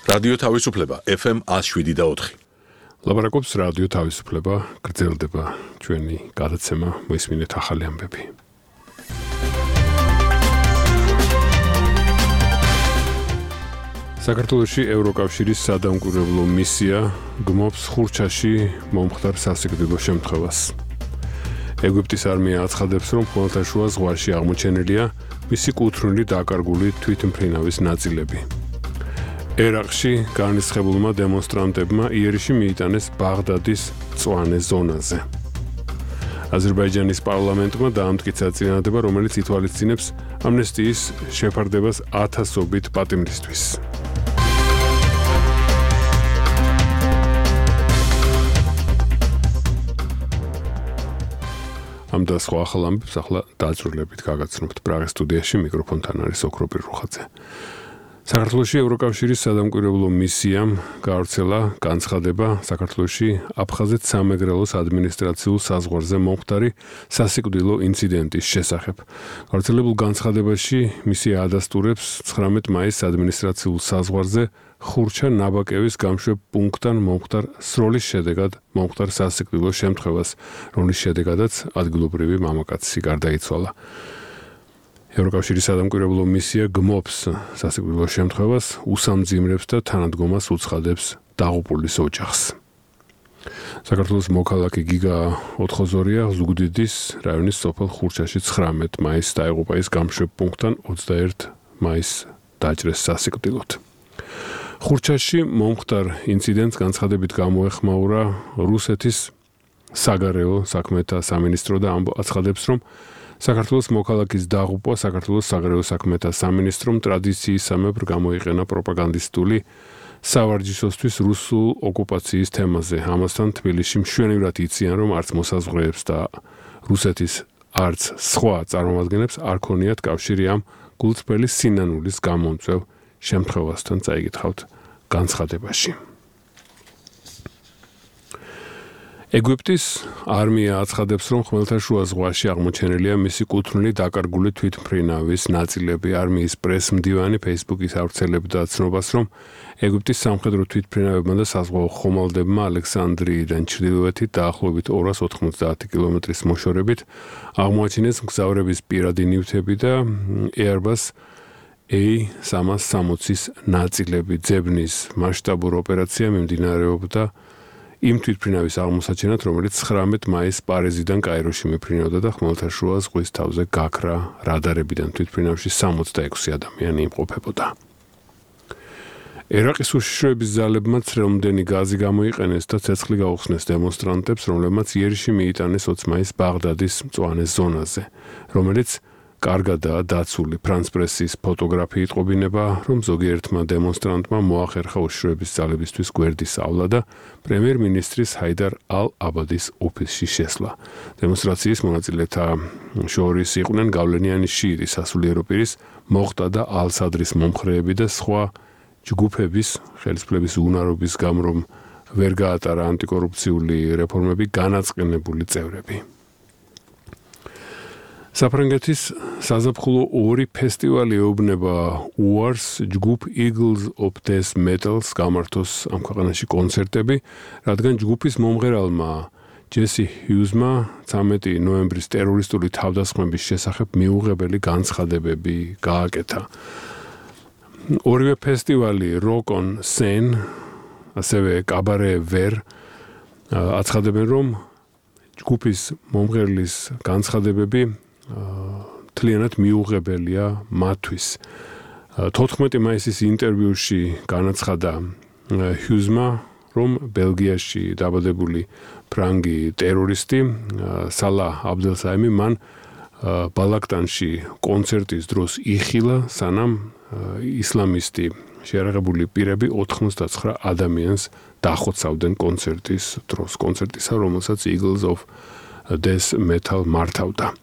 რადიო თავისუფლება FM 107.4. ლაპარაკობს რადიო თავისუფლება, გრძელდება ჩვენი გადაცემა, მოისმინეთ ახალი ამბები. საქართველოში ევროკავშირის სადამკვირვებლო მისია გმობს ხურჩაში მომხდარ სასიკვდილო შემთხვევას. ეგვიპტის არმია აცხადებს, რომ ხმელთაშუა ზღვაში აღმოჩენილია მისი კუთვნილი დაკარგული თვითმფრინავის ნაწილები. ერაყში განრისხებულმა დემონსტრანტებმა იერიში მიიტანეს ბაღდადის მწვანე ზონაზე. აზერბაიჯანის პარლამენტმა დაამტკიცა წინადადება, რომელიც ითვალისწინებს ამნესტიის შეფარდებას ათასობით პატიმრისთვის. ამ და სხვა ახალ ამბებს ახლა დაწვრილებით გაგაცნობთ პრაღის სტუდიაში, მიკროფონთან არის ოქროპირ რუხაძე. საქართველოში ევროკავშირის სადამკვირვებლო მისიამ გაავრცელა განცხადება საქართველოში აფხაზეთ-სამეგრელოს ადმინისტრაციულ საზღვარზე მომხდარი სასიკვდილო ინციდენტის შესახებ. გავრცელებულ განცხადებაში მისია ადასტურებს 19 მაისს ადმინისტრაციულ საზღვარზე ხურჩა-ნაბაკევის გამშვებ პუნქტთან მომხდარ სროლის შედეგად მომხდარ სასიკვდილო შემთხვევას, რომლის შედეგადაც ადგილობრივი მამაკაცი გარდაიცვალა. ევროკავშირის სადამკვირვებლო მისია გმობს სასიკვდილო შემთხვევას, უსამძიმრებს და თანადგომას უცხადებს დაღუპულის ოჯახს. საქართველოს მოქალაქე გიგა ოთხოზორია ზუგდიდის რაიონის სოფელ ხურჩაში 19 მაისს დაიღუპა ის გამშვებ პუნქტთან 21 მაისს დაჭრეს სასიკვდილოდ. ხურჩაში მომხდარ ინციდენტს განცხადებით გამოეხმაურა რუსეთის საგარეო საქმეთა სამინისტრო და აცხადებს, რომ საქართველოს მოქალაქის დაღუპვა საქართველოს საგარეო საქმეთა სამინისტრომ ტრადიციისამებრ გამოიყენა პროპაგანდისტული სავარჯიშოსთვის რუსულ ოკუპაციის თემაზე. ამასთან თბილისში მშვენივრად იციან, რომ არც მოსაზღვრეებს და რუსეთის არც სხვა წარმომადგენლებს არ ქონიათ კავშირი ამ გულწრფელი სინანულის გამომწვევ შემთხვევასთან, წაიგითხავთ განცხადებაში. ეგვიპტის არმია აცხადებს, რომ ხმელთაშუა ზღვაში აღმოჩენილია მისი კუთვნილი დაკარგული თვითმფრინავის ნაწილები. არმიის პრეს-მდივანი Facebook-ის ავრცელებდა ცნობას, რომ ეგვიპტის სამხედრო თვითმფრინავებმა და საზღვაო ხომალდებმა ალექსანდრიიდან ჩრდილოეთით დაახლოებით 290 კილომეტრის მოშორებით აღმოაჩინეს მგზავრების პირადი ნივთები და Airbus A360-ის ნაწილები. ძებნის მასშტაბური ოპერაცია მიმდინარეობდა იმ თვითმფრინავის აღმოსაჩენად, რომელიც 19 მაისს პარიზიდან კაიროში მიფრინავდა და ხმელთაშუა ზღვის თავზე გაქრა რადარებიდან თვითმფრინავში 66 ადამიანი იმყოფებოდა. ერაყის უშიშროების ძალებმა ცრემლმდენი გაზი გამოიყენეს და ცეცხლი გაუხსნეს დემონსტრანტებს, რომლებმაც იერიში მიიტანეს 20 მაისს ბაღდადის მწვანე ზონაზე, რომელიც კარგადაა დაცული. ფრანც პრესის ფოტოგრაფი იტყობინება, რომ ზოგიერთმა დემონსტრანტმა მოახერხა უშიშროების ძალებისთვის გვერდის ავლა და პრემიერ-მინისტრის ჰაიდარ ალ-აბადის ოფისში შესვლა. დემონსტრაციის მონაწილეთა შორის იყვნენ გავლენიანი შიიტი სასულიერო პირის მოხტა და ალ-სადრის მომხრეები და სხვა ჯგუფების ხელისუფლების უნარობის გამო, რომ ვერ გაატარა ანტიკორუფციული რეფორმები განაწყენებული წევრები. საფრანგეთის საზაფხულო 2 ფესტივალი ეუბნება უარს ჯგუფ Eagles of Death Metals გამართოს ამ ქვეყანაში კონცერტები, რადგან ჯგუფის მომღერალმა ჯესი ჰიუზმა 13 ნოემბრის ტერორისტული თავდასხმების შესახებ მიუღებელი განცხადებები გააკეთა. ორივე ფესტივალი Rock on Seine, ასევე კაბარე ვერ აცხადებენ, რომ ჯგუფის მომღერლის განცხადებები თლიანად მიუღებელია მათთვის. 14 მაისის ინტერვიუში განაცხადა ჰიუზმა, რომ ბელგიაში დაბადებული ფრანგი ტერორისტი სალა აბდელსაიმი მან ბალაკტანში კონცერტის დროს იხილა, სანამ ისლამისტი შეიარაღებული პირები 89 ადამიანს დახოცავდნენ კონცერტის დროს, კონცერტისა, რომელსაც Eagles of Death Metal მართავდა.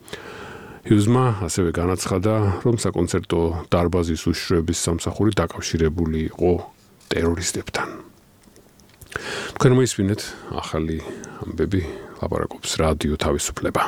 ჰიუზმა ასევე განაცხადა, რომ საკონცერტო დარბაზის უშიშროების სამსახური დაკავშირებული იყო ტერორისტებთან. თქვენ მოისმინეთ ახალი ამბები, ლაპარაკობს რადიო თავისუფლება.